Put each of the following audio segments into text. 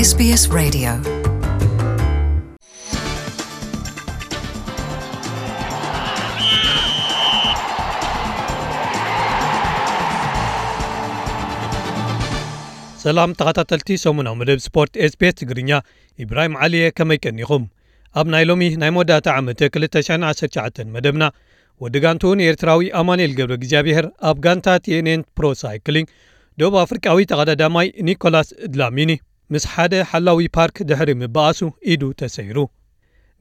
SBS Radio. ሰላም ተኸታተልቲ ሰሙናዊ መደብ ስፖርት SBS ትግርኛ፣ ኢብራሂም ዓሊየ፣ ከመይ ቀኒኹም? ኣብ ናይ ሎሚ ናይ መወዳእታ ዓመት ክልተ ሽሕን ዓሰርተ ትሽዓተን መደብና፣ ወዲ ጋንትኡ ንኤርትራዊ ኣማኑኤል ገብረ እግዚኣብሔር ኣብ ጋንታ ቲ ኤን ኤን ፕሮ ሳይክሊንግ፣ ደቡብ ኣፍሪቃዊ ተቐዳዳማይ ኒኮላስ ድላሚኒ ምስ ሓደ ሓላዊ ፓርክ ድሕሪ ምብኣሱ ኢዱ ተሰይሩ።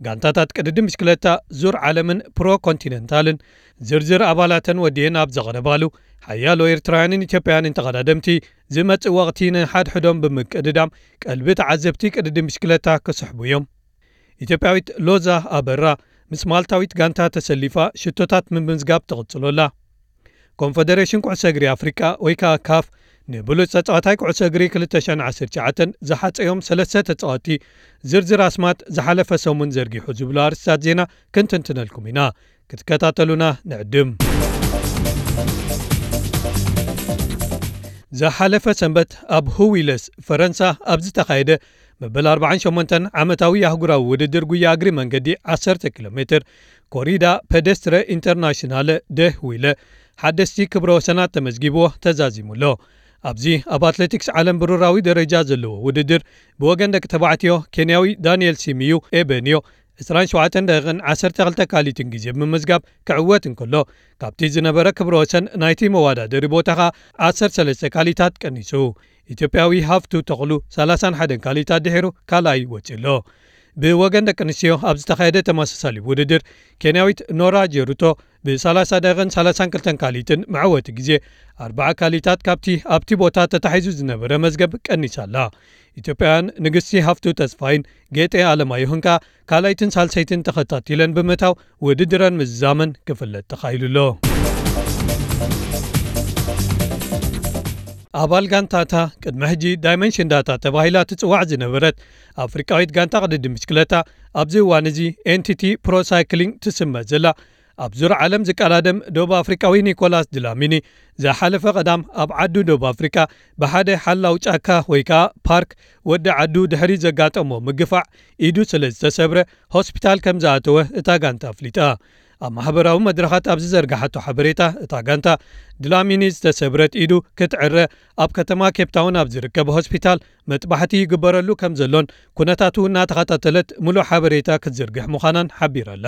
ጋንታታት ቅድድም ብሽክለታ ዙር ዓለምን ፕሮ ኮንቲነንታልን ዝርዝር ኣባላተን ወዲኤን ኣብ ዘቕረባሉ፣ ሓያሎ ኤርትራውያንን ኢትዮጵያውያንን ተቐዳደምቲ ዝመጽእ ወቕቲ ንሓድሕዶም ብምቅድዳም ቀልቢ ተዓዘብቲ ቅድድም ብሽክለታ ክስሕቡ እዮም። ኢትዮጵያዊት ሎዛ ኣበራ ምስ ማልታዊት ጋንታ ተሰሊፋ ሽቶታት ምምዝጋብ ትቕጽሎ ኣላ። ኮንፈደሬሽን ኩዕሶ እግሪ ኣፍሪቃ ወይ ከኣ ካፍ ንብሉጽ ተጻዋታይ ኩዕሶ እግሪ ክልተ ሽሕን ዓሰርተ ትሽዓተን ዝሓጸዮም ሰለስተ ተጻወትቲ ዝርዝር ኣስማት ዝሓለፈ ሰሙን ዘርጊሑ ዝብሉ ኣርእስታት ዜና ክንትንትነልኩም ኢና። ክትከታተሉና ንዕድም። ዝሓለፈ ሰንበት ኣብ ሁዊለስ ፈረንሳ ኣብ ዝተኻየደ መበል ኣርባዓን ሸሞንተን ዓመታዊ ኣህጉራዊ ውድድር ጉያ እግሪ መንገዲ ዓሰርተ ኪሎ ሜትር ኮሪዳ ፔደስትረ ኢንተርናሽናለ ደ ሁዊለ ሓደስቲ ክብረ ወሰናት ተመዝጊብዎ ተዛዚሙ ኣሎ። ኣብዚ ኣብ ኣትሌቲክስ ዓለም ብሩራዊ ደረጃ ዘለዎ ውድድር ብወገን ደቂ ተባዕትዮ ኬንያዊ ዳንኤል ሲሚዩ ኤበንዮ ዕስራን ሸውዓተን ደቂቕን ዓሰርተ ክልተ ካሊትን ግዜ ብምምዝጋብ ክዕወት እንከሎ፣ ካብቲ ዝነበረ ክብረ ወሰን ናይቲ መወዳደሪ ቦታ ኸኣ ዓሰርተ ሰለስተ ካሊታት ቀኒሱ። ኢትዮጵያዊ ሃፍቱ ተኽሉ ሰላሳን ሓደን ካሊታት ድሒሩ ካልኣይ ወጺኡ ኣሎ። ብወገን ደቂ ኣንስትዮ ኣብ ዝተኻየደ ተመሳሳሊ ውድድር፣ ኬንያዊት ኖራ ጀሩቶ ብሰላሳ ደቂቕን ሰላሳን ክልተን ካሊትን መዕወቲ ግዜ ኣርባዓ ካሊታት ካብቲ ኣብቲ ቦታ ተታሒዙ ዝነበረ መዝገብ ቀኒሳ ኣላ። ኢትዮጵያውያን ንግስቲ ሃፍቱ ተስፋይን ጌጤ ኣለማየሁን ከኣ ካልኣይትን ሳልሰይትን ተኸታቲለን ብምእታው ውድድረን ምዝዛመን ክፍለጥ ተኻኢሉ ኣሎ። ኣባል ጋንታታ ቅድሚ ሕጂ ዳይመንሽን ዳታ ተባሂላ ትጽዋዕ ዝነበረት ኣፍሪቃዊት ጋንታ ቅድድም ብሽክለታ ኣብዚ እዋን እዚ ኤንቲቲ ፕሮ ሳይክሊንግ ትስመ ዘላ ኣብ ዙር ዓለም ዝቀዳደም ደቡብ ኣፍሪቃዊ ኒኮላስ ድላሚኒ ዝሓለፈ ቀዳም ኣብ ዓዱ ደቡብ ኣፍሪቃ ብሓደ ሓላው ጫካ ወይ ከኣ ፓርክ ወዲ ዓዱ ድሕሪ ዘጋጠሞ ምግፋዕ ኢዱ ስለ ዝተሰብረ ሆስፒታል ከም ዝኣተወ እታ ጋንታ ኣፍሊጣ። ኣብ ማሕበራዊ መድረኻት ኣብ ዝዘርግሓቶ ሓበሬታ እታ ጋንታ ድላሚኒ ዝተሰብረት ኢዱ ክትዕረ ኣብ ከተማ ኬፕታውን ኣብ ዝርከብ ሆስፒታል መጥባሕቲ ይግበረሉ ከም ዘሎን ኩነታቱ እናተኸታተለት ምሉእ ሓበሬታ ክትዝርግሕ ምዃናን ሓቢራ ኣላ።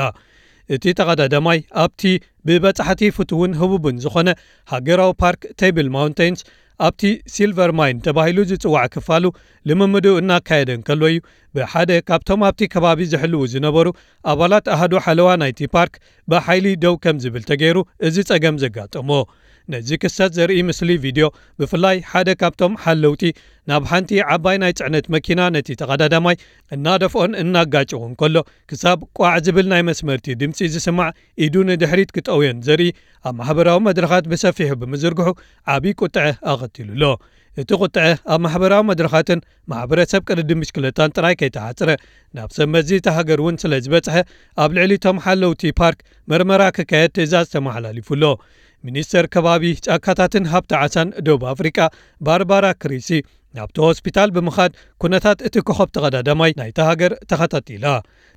እቲ ተቐዳዳማይ ኣብቲ ብበጻሕቲ ፍቱውን ህቡብን ዝኾነ ሃገራዊ ፓርክ ቴብል ማውንቴንስ ኣብቲ ሲልቨር ማይን ተባሂሉ ዝጽዋዕ ክፋሉ ልምምዱ እናካየደ እንከሎ እዩ ብሓደ ካብቶም ኣብቲ ከባቢ ዝሕልዉ ዝነበሩ ኣባላት ኣሃዱ ሓለዋ ናይቲ ፓርክ ብሓይሊ ደው ከም ዝብል ተገይሩ እዚ ጸገም ዘጋጠሞ። ነዚ ክስተት ዘርኢ ምስሊ ቪድዮ ብፍላይ ሓደ ካብቶም ሓለውቲ ናብ ሓንቲ ዓባይ ናይ ጽዕነት መኪና ነቲ ተቐዳዳማይ እናደፍኦን እናጋጨዎን ከሎ ክሳብ ቋዕ ዝብል ናይ መስመርቲ ድምጺ ዝስማዕ ኢዱ ንድሕሪት ክጠውዮን ዘርኢ ኣብ ማሕበራዊ መድረኻት ብሰፊሑ ብምዝርግሑ ዓቢ ቁጥዐ ኣቐቲሉ ኣሎ። እቲ ቁጥዐ ኣብ ማሕበራዊ መድረኻትን ማሕበረሰብ ቅድድም ብሽክለታን ጥራይ ከይተሓጽረ ናብ ሰብ መዚ እታ ሃገር እውን ስለ ዝበጽሐ ኣብ ልዕሊ እቶም ሓለውቲ ፓርክ መርመራ ክካየድ ትእዛዝ ተመሓላሊፉ ኣሎ። ሚኒስተር ከባቢ ጫካታትን ሃብቲ ዓሳን ደቡብ ኣፍሪቃ ባርባራ ክሪሲ ናብቲ ሆስፒታል ብምኻድ ኩነታት እቲ ኮኸብ ተቐዳዳማይ ናይታ ሃገር ተኸታቲላ።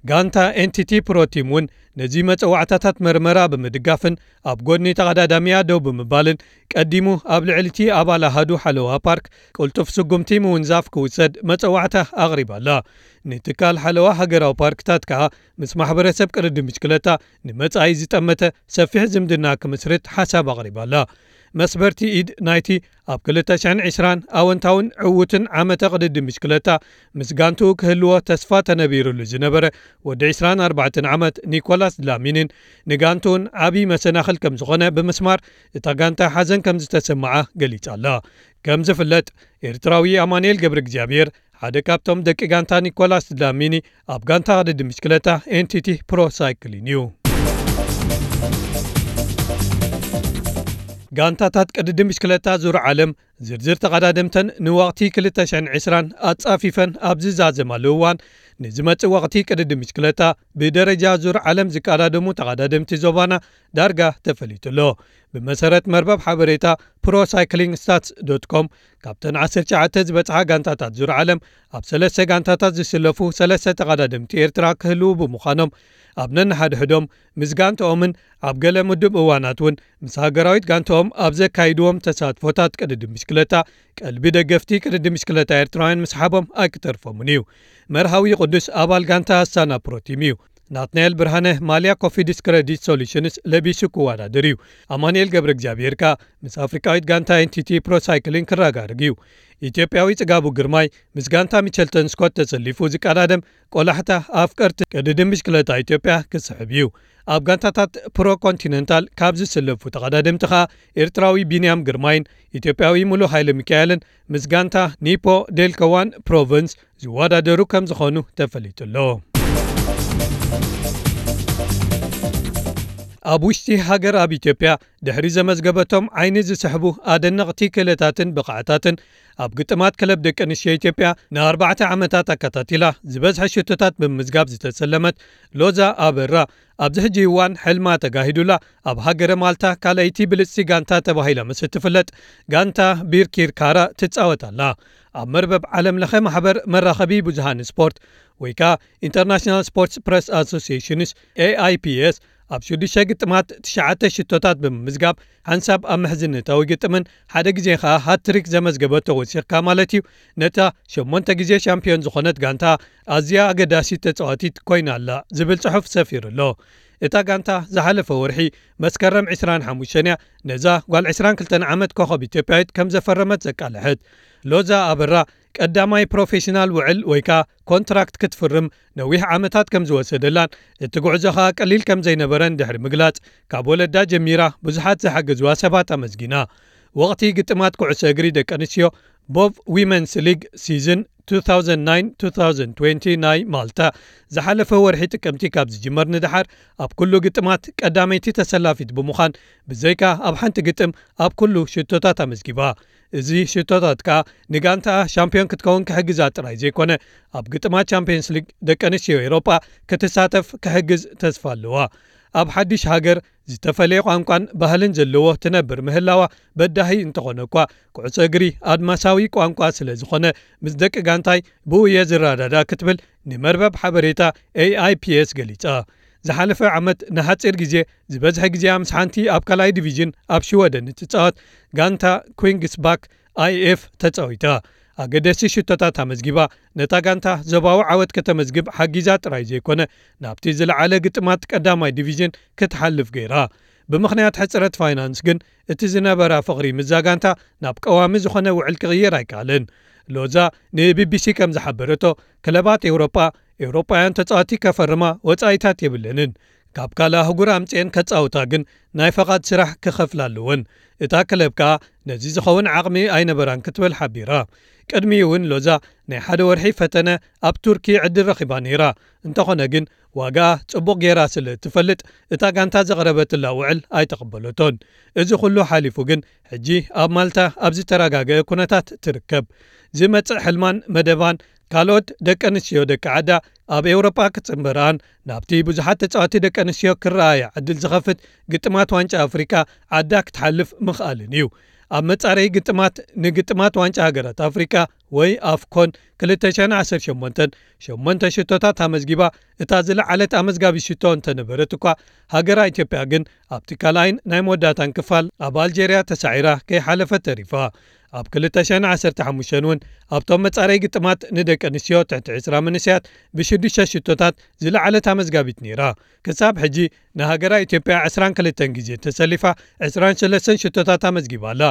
ጋንታ ኤንቲቲ ፕሮቲም እውን ነዚ መጸዋዕታታት መርመራ ብምድጋፍን ኣብ ጎድኒ ተቐዳዳሚያ ደው ብምባልን ቀዲሙ ኣብ ልዕሊ እቲ ኣባል ኣሃዱ ሓለዋ ፓርክ ቅልጡፍ ስጉምቲ ምውንዛፍ ክውሰድ መጸዋዕታ ኣቕሪባ ኣላ። ንትካል ሓለዋ ሃገራዊ ፓርክታት ከኣ ምስ ማሕበረሰብ ቅድድም ብሽክለታ ንመጻኢ ዝጠመተ ሰፊሕ ዝምድና ክምስርት ሓሳብ ኣቕሪባ ኣላ። መስበርቲ ኢድ ናይቲ ኣብ ክልተ ሽሕን ዕስራን ኣወንታውን ዕዉትን ዓመተ ቅድድም ብሽክለታ ምስ ጋንትኡ ክህልዎ ተስፋ ተነቢሩሉ ዝነበረ ወዲ ዕስራን ኣርባዕተን ዓመት ኒኮላስ ድላሚንን ንጋንትኡን ዓቢ መሰናኽል ከም ዝኾነ ብምስማር እታ ጋንታ ሓዘን ከም ዝተሰምዓ ገሊጻ ኣላ። ከም ዝፍለጥ ኤርትራዊ ኣማኑኤል ገብረ እግዚኣብሔር ሓደ ካብቶም ደቂ ጋንታ ኒኮላስ ድላሚኒ ኣብ ጋንታ ቅድድም ብሽክለታ ኤንቲቲ ፕሮ ሳይክሊን እዩ። ጋንታታት ቅድድም ብሽክለታ ዙር ዓለም ዝርዝር ተቐዳደምተን ንወቕቲ ክልተ ሽሕን ዕስራን ኣጻፊፈን ኣብ ዝዛዘማሉ እዋን፣ ንዝመጽእ ወቕቲ ቅድድም ብሽክለታ ብደረጃ ዙር ዓለም ዝቀዳደሙ ተቐዳደምቲ ዞባና ዳርጋ ተፈሊጡ ኣሎ። ብመሰረት መርበብ ሓበሬታ ፕሮ ሳይክሊንግ ስታትስ ዶት ኮም፣ ካብተን ዓሰርተ ትሽዓተ ዝበጽሓ ጋንታታት ዙር ዓለም፣ ኣብ ሰለስተ ጋንታታት ዝስለፉ ሰለስተ ተቐዳደምቲ ኤርትራ ክህልዉ ብምዃኖም፣ ኣብ ነንሓድሕዶም ምስ ጋንትኦምን ኣብ ገለ ምዱብ እዋናት እውን ምስ ሃገራዊት ጋንትኦም ኣብ ዘካይድዎም ተሳትፎታት ቅድድም ብሽክለታ ቀልቢ ደገፍቲ ቅድድም ብሽክለታ ኤርትራውያን ምስሓቦም ኣይክተርፎምን እዩ። መርሃዊ ቅዱስ ኣባል ጋንታ ኣስታና ፕሮ ቲም እዩ። ናትናኤል ብርሃነ ማልያ ኮፊድስ ክረዲት ሶሉሽንስ ለቢሱ ክወዳደር እዩ። ኣማኑኤል ገብረ እግዚኣብሔር ከኣ ምስ ኣፍሪቃዊት ጋንታ ኤን ቲ ቲ ፕሮ ሳይክሊንግ ክረጋርግ እዩ። ኢትዮጵያዊ ጽጋቡ ግርማይ ምስ ጋንታ ሚቸልተን ስኮት ተሰሊፉ ዝቀዳደም ቆላሕታ ኣፍቀርቲ ቅድድም ብሽክለታ ኢትዮጵያ ክስሕብ እዩ። ኣብ ጋንታታት ፕሮ ኮንቲነንታል ካብ ዝስለፉ ተቐዳደምቲ ከኣ ኤርትራዊ ቢንያም ግርማይን ኢትዮጵያዊ ሙሉ ሃይለ ሚካኤልን ምስ ጋንታ ኒፖ ዴልከዋን ፕሮቨንስ ዝወዳደሩ ከም ዝኾኑ ተፈሊጡ ኣሎ። ኣብ ውሽጢ ሃገር ኣብ ኢትዮጵያ ድሕሪ ዘመዝገበቶም ዓይኒ ዝስሕቡ ኣደነቕቲ ክእለታትን ብቕዓታትን ኣብ ግጥማት ክለብ ደቂ ኣንስትዮ ኢትዮጵያ ንኣርባዕተ ዓመታት ኣከታቲላ ዝበዝሐ ሽቶታት ብምምዝጋብ ዝተሰለመት ሎዛ ኣበራ፣ ኣብዚ ሕጂ እዋን ሕልማ ተጋሂዱላ ኣብ ሃገረ ማልታ ካልኣይቲ ብልጽቲ ጋንታ ተባሂላ ምስ እትፍለጥ ጋንታ ቢርኪርካራ ትጻወት ኣላ። ኣብ መርበብ ዓለም ለኸ ማሕበር መራኸቢ ብዙሃን ስፖርት ወይ ከኣ ኢንተርናሽናል ስፖርትስ ፕረስ ኣሶሲዬሽንስ ኤ ኣይ ፒ ኤስ ኣብ ሽዱሽተ ግጥማት ትሽዓተ ሽቶታት ብምምዝጋብ ሓንሳብ ኣብ ምሕዝነታዊ ግጥምን ሓደ ግዜ ከኣ ሃትሪክ ዘመዝገበቶ ወሲኽካ ማለት እዩ። ነታ ሸሞንተ ግዜ ሻምፒዮን ዝኾነት ጋንታ ኣዝያ ኣገዳሲት ተጻዋቲት ኮይና ኣላ ዝብል ጽሑፍ ሰፊሩ ኣሎ። እታ ጋንታ ዝሓለፈ ወርሒ መስከረም ዕስራን ሓሙሽተን እያ ነዛ ጓል ዕስራን ክልተን ዓመት ኮኸብ ኢትዮጵያዊት ከም ዘፈረመት ዘቃልሐት። ሎዛ ኣበራ ቀዳማይ ፕሮፌሽናል ውዕል ወይ ከኣ ኮንትራክት ክትፍርም ነዊሕ ዓመታት ከም ዝወሰደላን እቲ ጉዕዞ ከኣ ቀሊል ከም ዘይነበረን ድሕሪ ምግላጽ፣ ካብ ወለዳ ጀሚራ ብዙሓት ዝሓገዝዋ ሰባት ኣመስጊና። ወቕቲ ግጥማት ኩዕሶ እግሪ ደቂ ኣንስትዮ ቦቭ ዊመንስ ሊግ ሲዝን ቱ ታውዘንድ ናይን ቱ ታውዘንድ ትዌንቲ ናይ ማልታ ዝሓለፈ ወርሒ ጥቅምቲ ካብ ዝጅመር ንደሓር ኣብ ኩሉ ግጥማት ቀዳመይቲ ተሰላፊት ብምዃን ብዘይካ ኣብ ሓንቲ ግጥም ኣብ ኩሉ ሽቶታት ኣመዝጊባ። እዚ ሽቶታት ከኣ ንጋንታኣ ሻምፒዮን ክትከውን ክሕግዛ ጥራይ ዘይኮነ ኣብ ግጥማት ቻምፒየንስ ሊግ ደቂ ኣንስትዮ ኤውሮጳ ክትሳተፍ ክሕግዝ ተስፋ ኣለዋ። ኣብ ሓድሽ ሃገር ዝተፈለየ ቋንቋን ባህልን ዘለዎ ትነብር ምህላዋ በዳሂ እንተኾነ እኳ፣ ኩዕሶ እግሪ ኣድማሳዊ ቋንቋ ስለ ዝኾነ ምስ ደቂ ጋንታይ ብኡ እየ ዝረዳዳእ ክትብል ንመርበብ ሓበሬታ ኤ ኣይ ፒ ኤስ ገሊጻ። ዝሓለፈ ዓመት ንሓጺር ግዜ ዝበዝሐ ግዜኣ ምስ ሓንቲ ኣብ ካልኣይ ዲቪዥን ኣብ ሽወደን እትጻወት ጋንታ ኩንግስባክ ኣይ ኤፍ ተጻዊታ። ኣገደስቲ ሽቶታት ኣመዝጊባ ነታ ጋንታ ዞባዊ ዓወት ከተመዝግብ ሓጊዛ ጥራይ ዘይኮነ ናብቲ ዝለዓለ ግጥማት ቀዳማይ ዲቪዥን ክትሓልፍ ገይራ። ብምኽንያት ሕጽረት ፋይናንስ ግን እቲ ዝነበራ ፍቕሪ ምስዛ ጋንታ ናብ ቀዋሚ ዝኾነ ውዕል ክቕየር ኣይከኣለን። ሎዛ ን ቢ ቢ ሲ ከም ዝሓበረቶ፣ ክለባት ኤውሮጳ ኤውሮጳውያን ተጻወቲ ከፈርማ ወጻኢታት የብለንን። ካብ ካልእ ኣህጉር ኣምጽኤን ከጻውታ ግን ናይ ፈቓድ ስራሕ ክኸፍላ ኣለወን። እታ ክለብ ከኣ ነዚ ዝኸውን ዓቕሚ ኣይነበራን ክትብል ሓቢራ። ቅድሚኡ እውን ሎዛ ናይ ሓደ ወርሒ ፈተነ ኣብ ቱርኪ ዕድል ረኺባ ነይራ። እንተኾነ ግን ዋጋኣ ጽቡቕ ጌራ ስለ እትፈልጥ እታ ጋንታ ዘቕረበትላ ውዕል ኣይተቐበለቶን። እዚ ኩሉ ሓሊፉ ግን ሕጂ ኣብ ማልታ ኣብ ዝተረጋገአ ኩነታት ትርከብ። ዝመጽእ ሕልማን መደባን ካልኦት ደቂ ኣንስትዮ ደቂ ዓዳ ኣብ ኤውሮጳ ክጽንበርኣን ናብቲ ብዙሓት ተጻወቲ ደቂ ኣንስትዮ ክረኣያ ዕድል ዝኸፍት ግጥማት ዋንጫ ኣፍሪቃ ዓዳ ክትሓልፍ ምኽኣልን እዩ። ኣብ መጻረዪ ግጥማት ንግጥማት ዋንጫ ሃገራት ኣፍሪቃ ወይ ኣፍኮን ክልተ ሽሕን ዓሰርተ ሸሞንተን ሸሞንተ ሽቶታት ኣመዝጊባ፣ እታ ዝለዓለት ኣመዝጋቢ ሽቶ እንተነበረት እኳ፣ ሃገራ ኢትዮጵያ ግን ኣብቲ ካልኣይን ናይ መወዳእታን ክፋል ኣብ ኣልጀርያ ተሳዒራ ከይሓለፈት ተሪፋ። ኣብ ክልተ ሽሕን ዓሰርተ ሓሙሽተን እውን ኣብቶም መጻረዪ ግጥማት ንደቂ ኣንስትዮ ትሕቲ ዕስራ መንእሰያት ብሽዱሽተ ሽቶታት ዝለዓለት ኣመዝጋቢት ነይራ። ክሳብ ሕጂ ንሃገራ ኢትዮጵያ ዕስራን ክልተን ግዜ ተሰሊፋ ዕስራን ሰለስተን ሽቶታት ኣመዝጊባ ኣላ።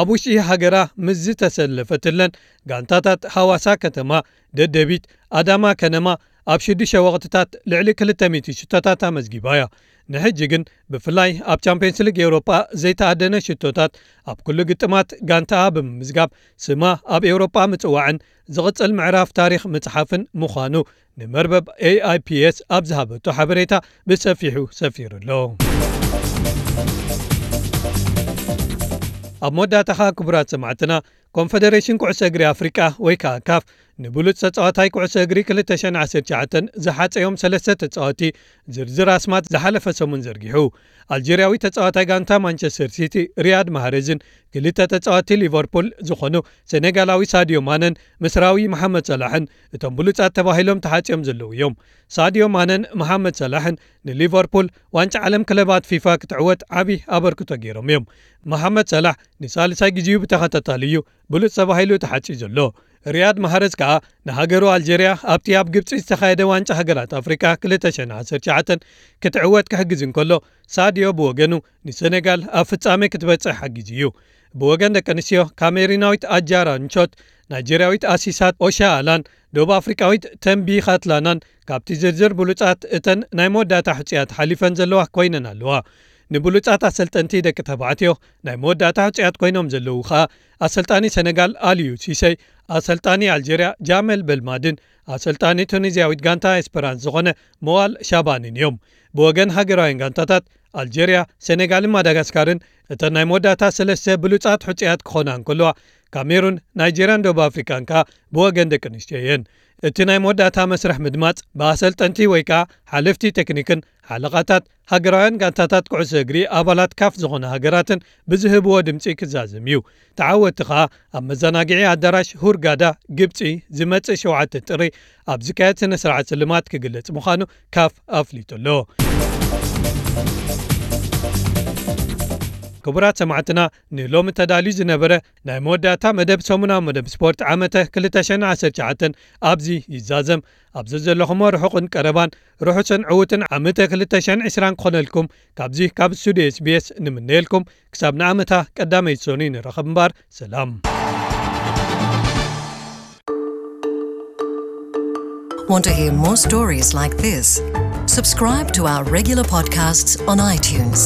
ኣብ ውሽጢ ሃገራ ምስ ዝተሰለፈትለን ጋንታታት ሃዋሳ ከተማ፣ ደደቢት፣ ኣዳማ ከነማ ኣብ ሽዱሽተ ወቕትታት ልዕሊ ክልተ ሚእቲ ሽቶታት ኣመዝጊባ እያ። ንሕጂ ግን ብፍላይ ኣብ ቻምፒየንስ ሊግ ኤውሮጳ ዘይተኣደነ ሽቶታት ኣብ ኩሉ ግጥማት ጋንታኣ ብምምዝጋብ ስማ ኣብ ኤውሮጳ ምጽዋዕን ዝቕጽል ምዕራፍ ታሪኽ ምጽሓፍን ምዃኑ ንመርበብ ኤ ኣይ ፒ ኤስ ኣብ ዝሃበቶ ሓበሬታ ብሰፊሑ ሰፊሩ ኣሎ። ኣብ መወዳእታ ኸኣ ክቡራት ሰማዕትና፣ ኮንፈደሬሽን ኩዕሶ እግሪ ኣፍሪቃ ወይ ከኣ ካፍ ንብሉጽ ተጻዋታይ ኩዕሶ እግሪ ክልተ ሽሕን ዓሰርተ ትሽዓተን ዝሓጸዮም ሰለስተ ተጻወቲ ዝርዝር ኣስማት ዝሓለፈ ሰሙን ዘርጊሑ። ኣልጀርያዊ ተጻዋታይ ጋንታ ማንቸስተር ሲቲ ሪያድ ማህሬዝን ክልተ ተጻወቲ ሊቨርፑል ዝኾኑ ሴኔጋላዊ ሳዲዮ ማነን ምስራዊ መሓመድ ሰላሕን እቶም ብሉጻት ተባሂሎም ተሓጽዮም ዘለዉ እዮም። ሳዲዮ ማነን መሓመድ ሰላሕን ንሊቨርፑል ዋንጫ ዓለም ክለባት ፊፋ ክትዕወት ዓቢ ኣበርክቶ ገይሮም እዮም። መሓመድ ሰላሕ ንሳልሳይ ግዜኡ ብተኸታታሊ እዩ ብሉጽ ተባሂሉ ተሓጺዩ ዘሎ። ሪያድ ማህረዝ ከኣ ንሃገሩ ኣልጀርያ ኣብቲ ኣብ ግብጺ ዝተኻየደ ዋንጫ ሃገራት ኣፍሪቃ ክልተ ሽሕን ዓሰርተ ትሽዓተን ክትዕወት ክሕግዝ እንከሎ፣ ሳዲዮ ብወገኑ ንሰኔጋል ኣብ ፍጻሜ ክትበጽሕ ሓጊዙ እዩ። ብወገን ደቂ ኣንስትዮ፣ ካሜሩናዊት ኣጃራ ንቾት፣ ናይጀርያዊት ኣሲሳት ኦሻኣላን ደቡብ ኣፍሪቃዊት ተምቢ ኻትላናን ካብቲ ዝርዝር ብሉጻት እተን ናይ መወዳእታ ሕጹያት ሓሊፈን ዘለዋ ኮይነን ኣለዋ። ንብሉጻት ኣሰልጠንቲ ደቂ ተባዕትዮ ናይ መወዳእታ ሕጹያት ኮይኖም ዘለዉ ኸኣ ኣሰልጣኒ ሰነጋል ኣልዩ ሲሰይ፣ ኣሰልጣኒ ኣልጀርያ ጃመል በልማድን ኣሰልጣኒ ቱኒዝያዊት ጋንታ ኤስፐራንስ ዝኾነ መዋል ሻባንን እዮም። ብወገን ሃገራውያን ጋንታታት ኣልጀርያ፣ ሰኔጋልን ማዳጋስካርን እተን ናይ መወዳእታ ሰለስተ ብሉጻት ሕጹያት ክኾና እንከለዋ፣ ካሜሩን፣ ናይጀርያን ደቡብ ኣፍሪቃን ከኣ ብወገን ደቂ ኣንስትዮ እየን። እቲ ናይ መወዳእታ መስርሕ ምድማጽ ብኣሰልጠንቲ ወይ ከኣ ሓለፍቲ ቴክኒክን ሓለቓታት ሃገራውያን ጋንታታት ኩዕሶ እግሪ ኣባላት ካፍ ዝኾነ ሃገራትን ብዝህብዎ ድምጺ ክዛዘም እዩ። ተዓወቲ ኸኣ ኣብ መዘናግዒ ኣዳራሽ ሁርጋዳ ግብጺ ዝመጽእ ሸውዓተ ጥሪ ኣብ ዝካየድ ስነ ስርዓት ስልማት ክግለጽ ምዃኑ ካፍ ኣፍሊጡ ኣሎ። ክቡራት ሰማዕትና፣ ንሎሚ ተዳልዩ ዝነበረ ናይ መወዳእታ መደብ ሰሙናዊ መደብ ስፖርት ዓመተ ክልተ ሽሕን ዓሰርተ ትሽዓተን ኣብዚ ይዛዘም። ኣብዚ ዘለኹሞ ርሑቕን ቀረባን ርሑስን ዕዉትን ዓመተ ክልተ ሽሕን ዕስራን ክኾነልኩም ካብዚ ካብ ስቱድዮ ኤስቢኤስ ንምነየልኩም። ክሳብ ንዓመታ ቀዳመይቲ ሰኑይ ንራኸብ እምበር፣ ሰላም። Want to hear more stories like this? Subscribe to our regular podcasts on iTunes.